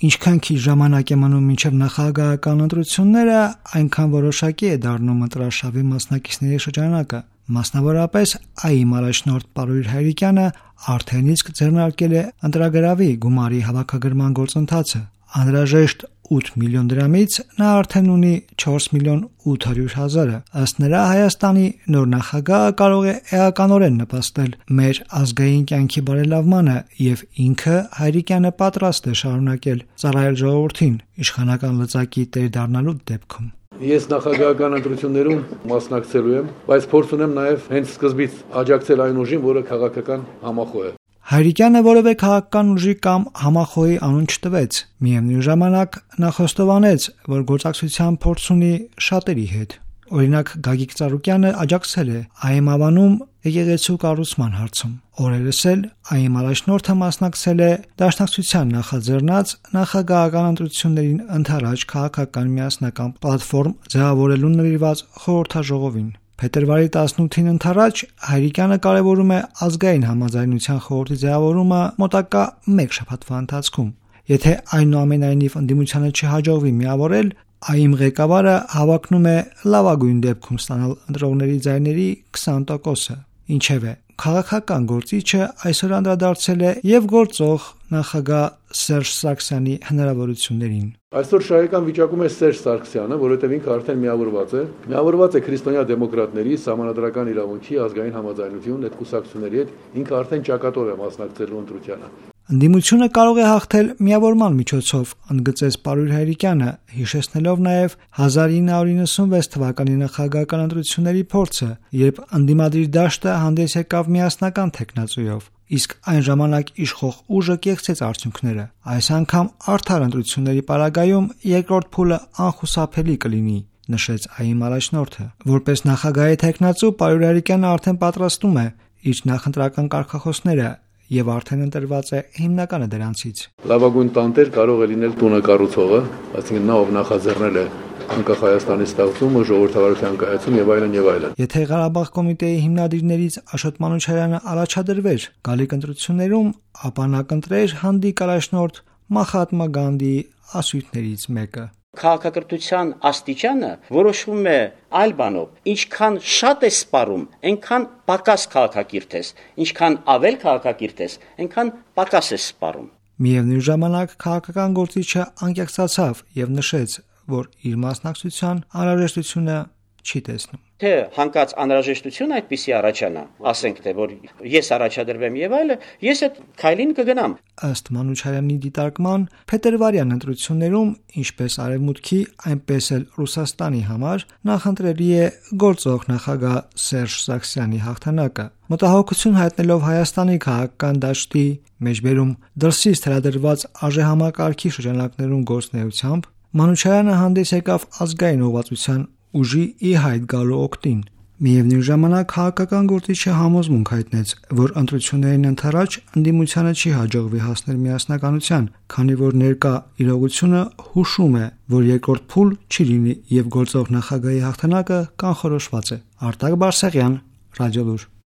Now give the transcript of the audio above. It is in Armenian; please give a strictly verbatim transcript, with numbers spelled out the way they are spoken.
Ինչքան քիչ ժամանակ է մնում մինչև նախագահական ընտրությունները, այնքան որոշակի է դառնում ընտրարշավի մասնակիցների շրջանակը։ Մասնավորապես ԱԻՄ առաջնորդ Պարույր Հայրիկյանը արդեն իսկ ձեռնարկել է ընտրագրավի գումարի հավաքագրման գործընթացը։ Անհրաժեշտ ութ միլիոն դրամից նա արդեն ունի չորս միլիոն ութ հարյուր հազարը։ Ըստ նրա, Հայաստանի նոր նախագահը կարող է էականորեն նպաստել մեր ազգային կյանքի բարելավմանը, եւ ինքը Հայրիկյանը պատրաստ է շարունակել ծառայել ժողովրդին իշխանական լծակի տեր դառնալու դեպքում։ Ես նախագահական ընտրություններում մասնակցելու եմ, բայց փորձ ունեմ նաև հենց սկզբից աջակցել այն ուժին, որը քաղաքական համախոհ է։ Հայրիկյանը որևէ քաղաքական ուժի կամ համախոհի անուն չտվեց։ Միևնույն ժամանակ նա խոստովանեց, որ գործակցության փորձ ունի շատերի հետ։ Օրինակ Գագիկ Ծառուկյանը աջակցել է ԱԻՄ ավանում եկեղեցու կառուցման հարցում։ Օրերս էլ ԱԻՄ առաջնորդը մասնակցել է Դաշնակցության նախաձեռնած նախագահական ընտրություններին ընդառաջ քաղաքական միասնական պլատֆորմ ձևավորելու նվիրված խորհրդաժողովին։ Փետրվարի տասնութին ընդառաջ Հայրիկյանը կարևորում է ազգային համաձայնության խորհրդի ձևավորումը մոտակա մեկ շաբաթվա ընթացքում։ Եթե այնուամենայնիվ ընդդիմությանը չհաջողվի միավորել, ԱԻՄ ղեկավարը հավակնում է լավագույն դեպքում ստանալ ընտրողների ձայների քսան տոկոսը։ Ինչևէ, քաղաքական գործիչը այսօր անդրադարձել է եւ գործող նախագահ Սերժ Սարգսյանի հնարավորություններին։ Այսօր շահեկան վիճակում է Սերժ Սարգսյանը, որովհետև ինքը արդեն միավորված է։ Միավորված է քրիստոնյա դեմոկրատների, սահմանադրական իրավունքի, ազգային համաձայնություն այդ կուսակցությունների հետ, ինքը արդեն ճակատով է մասնակցելու ընտրությանը։ Ընդդիմությունը կարող է հաղթել միավորման միջոցով, ընդգծեց Պարույր Հայրիկյանը, հիշեցնելով նաև հազար ինը հարյուր նվաթ թվականի նախագահական ընտրությունների փորձը, երբ ընդդիմադիր դաշտը հանդես եկավ միասնական թեկնածուով, իսկ այն ժամանակ իշխող ուժը կեղծեց արդյունքները։ Այս անգամ արդար ընտրությունների պարագայում երկրորդ փուլը անխուսափելի կլինի, նշեց ԱԻՄ առաջնորդը։ Որպես նախագահի թեկնածու Պարույր Հայրիկյանը արդեն պատրաստում է իր նախընտրական կարգախոսները եւ արդեն ընտրված է հիմնականը դրանցից։ Լավագույն տանտեր կարող է լինել տունակառուցողը, այսինքն նա ով նախաձեռնել է անկախ Հայաստանի ստեղծումը, ժողովրդավարության կայացում եւ այլն եւ այլն։ Եթե Ղարաբաղ կոմիտեի հիմնադիրներից Աշոտ Մանուչարյանը առաջադրվեր գալիք ընտրություններում, ապա նա կընտրեր հանդիկ առաջնորդ Մահատմա Գանդիի ասույթներից մեկը։ Քաղաքակրթության աստիճանը որոշվում է այլ բանով, ինչքան շատ ես սպառում, այնքան պակաս քաղաքակիրթ ես, ինչքան ավել քաղաքակիրթ ես, այնքան պակաս ես սպառում։ Միևնույն ժամանակ քաղաքական գործիչը անկեղծացավ եւ նշեց, որ իր մասնակցության անհրաժեշտությունը չի տեսնում։ Թե հանկած անհրաժեշտություն այդպիսի առաջանա, ասենք թե որ ես առաջադրվեմ եւ այլը, ես այդ քայլին կգնամ։ Ըստ Մանուչարյանի դիտարկման, փետրվարյան ընտրություններում, ինչպես Արևմուտքի, այնպես էլ Ռուսաստանի համար նախընտրելի է գործող նախագահ Սերժ Սարգսյանի հաղթանակը։ Մտահոգություն հայտնելով Հայաստանի քաղաքական դաշտի մեջբերում դրսից թելադրված արժեհամակարգի շրջանակներում գործնեությամբ, Մանուչարյանը հանդես եկավ ազգային ուղղվածության ուժի ի հայտ գալու օգտին։ Միևնույն ժամանակ քաղաքական գործիչը համոզմունք հայտնեց, որ ընտրություններին ընդառաջ ընդդիմությանը չի հաջողվի հասնել միասնականության, քանի որ ներկա իրողությունը հուշում է, որ երկրորդ փուլ չի լինի եւ գործող նախագահի հաղթանակը կանխորոշված է։ Արտակ Բարսեղյան, Ռադիոլուր։